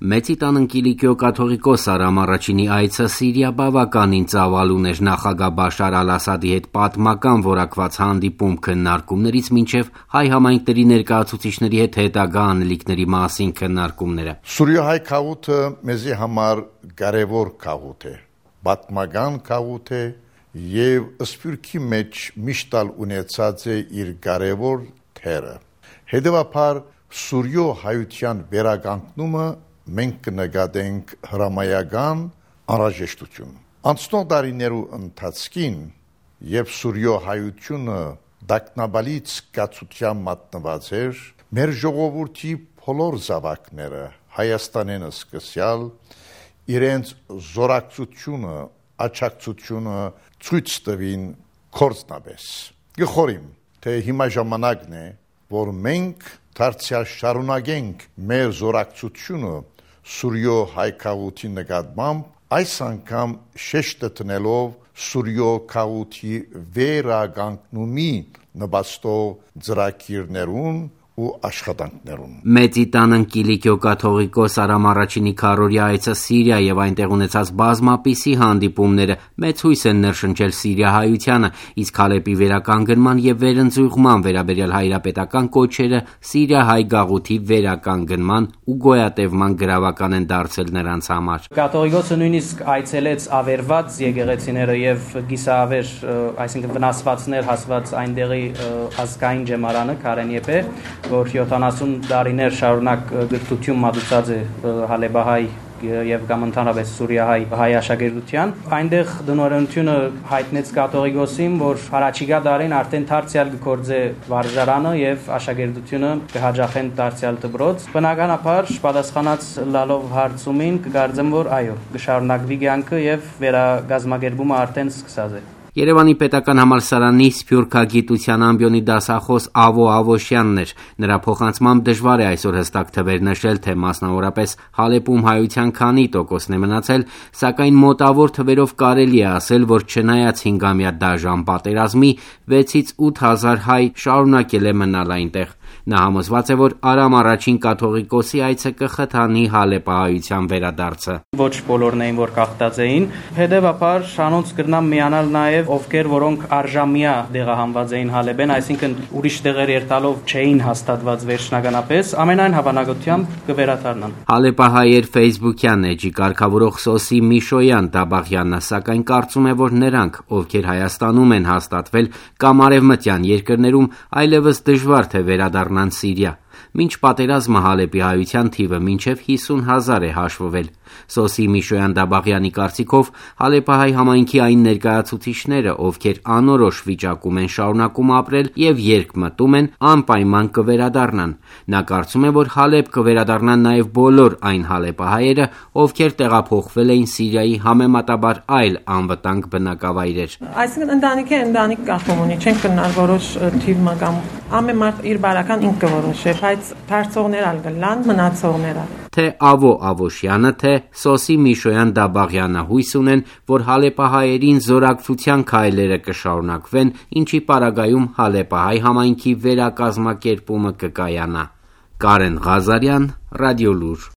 Մեծի տան Կիլիկիո կաթողիկոս Արամ Առաջինի այցը Սիրիա բավականին ծավալ ուներ նախագահ Բաշար Ալ-Ասադի հետ պատմական որակված հանդիպում քննարկումներից մինչև հայ համայնքների ներկայացուցիչների հետ հետագա անելիքների մասին քննարկումները։ Սուրիո-հայ քաղուտը մեզի համար կարևոր քաղուտ է, պատմական քաղուտ է եւ սփյուռքի մեջ միշտ ունեցած է իր կարևոր թերը։ Հետևաբար Սուրիո հայության վերականգնումը մենք կնկատենք հրամայական անհրաժեշտություն։ Անցնող տարիներու ընթացքին եւ Սուրիո հայությունը դակնաբալից կացության մատնված էր, մեր ժողովրդի բոլոր զավակները Հայաստանեն սկսյալ իրենց զորակցությունը, աջակցությունը ցույց տվին կորցնաբես։ Գխորիմ, թե հիմա ժամանակն է, որ մենք դարձյալ շարունակենք մեր զորակցությունը Սուրիո հայ քաղուտի նկատմամբ այս անգամ շեշտը տնելով Սուրիո քաղուտի վերականգնումի նպաստող ծրագիրներուն ու աշխատանքներուն։ Մեծի տան Կիլիկիո կաթողիկոս Արամ Առաջինի քարորիա այցը Սիրիա եւ այնտեղ ունեցած բազմապիսի հանդիպումները մեծ հույս են ներշնչել սիրիահայությանը, իսկ Հալեպի վերականգնման եւ վերընձյուղման վերաբերյալ հայրապետական կոչերը Սիրիահայ գաղութի վերականգնման ու գոյատևման գրավական են դարձել նրանց համար։ Կաթողիկոսը նույնիսկ այցելեց ավերված եկեղեցիները եւ գիսավեր, այսինքն վնասվածներ հասված այնտեղի ազգային ջեմարանը Քարենիեպե, որ 70 տարիներ շարունակ գրթություն մատուցած է հալեբահայ եւ կամ ընդհանրապես սուրիահայ հայ աշակերտության։ Այնտեղ դնորոշությունը հայտնեց կաթողիկոսին, որ առաջիկա տարին արդեն դարձյալ կգործե վարժարանը եւ աշակերտությունը կհաջախեն դարձյալ դպրոց։ Բնականաբար պատասխանած լալով հարցումին կգարձեմ, որ այո, կշարունակվի կյանքը եւ վերագազմագերբումը արդեն սկսած է։ Երևանի պետական համալսարանի սփյուռքագիտության ամբիոնի դասախոս Ավո Ավոշյանն էր։ Նրա փոխանցմամբ դժվար է այսօր հստակ թվեր նշել, թե մասնավորապես Հալեպում հայության քանի տոկոսն է մնացել, սակայն մոտավոր թվերով կարելի է ասել, որ չնայած 5-ամյա դաժան պատերազմի 6-ից 8,000 հայ շարունակել է մնալ այնտեղ։ Նա համոզված է, որ Արամ Առաջին կաթողիկոսի այցը կխթանի հալեպահայության վերադարձը։ Ոչ բոլորն էին, որ կախտած էին, հետևաբար շանոց կրնամ միանալ նաև ովքեր որոնք արժամյա դեղահանված էին Հալեբեն, այսինքն ուրիշ տեղեր երթալով չէին հաստատված վերջնականապես, ամենայն հավանականությամբ կվերադառնան։ Հալեպահայեր Facebook-յան էջի կարգավորող Սոսի Միշոյան Դաբաղյանը սակայն կարծում է, որ նրանք, ովքեր Հայաստանում են հաստատվել կամ արևմտյան երկրներում, այլևս դժվար թե վերադառնան Սիրիա։ Մինչ պատերազմը Հալեպի հայության թիվը մինչև 50,000 է հաշվվել։ Սոսի Միշոյան Դաբաղյանի կարծիքով Հալեպահայ համայնքի այն ներկայացուցիչները, ովքեր անորոշ վիճակում են շարունակում ապրել եւ երկ մտում են, անպայման կվերադառնան։ Նա կարծում է, որ Հալեպ կվերադառնան նաեւ բոլոր այն հալեպահայերը, ովքեր տեղափոխվել էին Սիրիայի համեմատաբար այլ անվտանգ բնակավայրեր։ Այսինքն ընտանիք կախում ունի, չեն կնար որոշ թիվ կամ ամեն մարդ իր բարական ինքը որոշի, բայց դարձողներ ալ գլան, մնացողները։ Թե Ավո Ավոշյանը, թե Սոսի Միշոյան Դաբաղյանը հույս ունեն, որ հալեպահայերին զորակցության քայլերը կշարունակվեն, ինչի պարագայում հալեպահայ համայնքի վերակազմակերպումը կկայանա։ Կարեն Ղազարյան, Ռադիոլուր։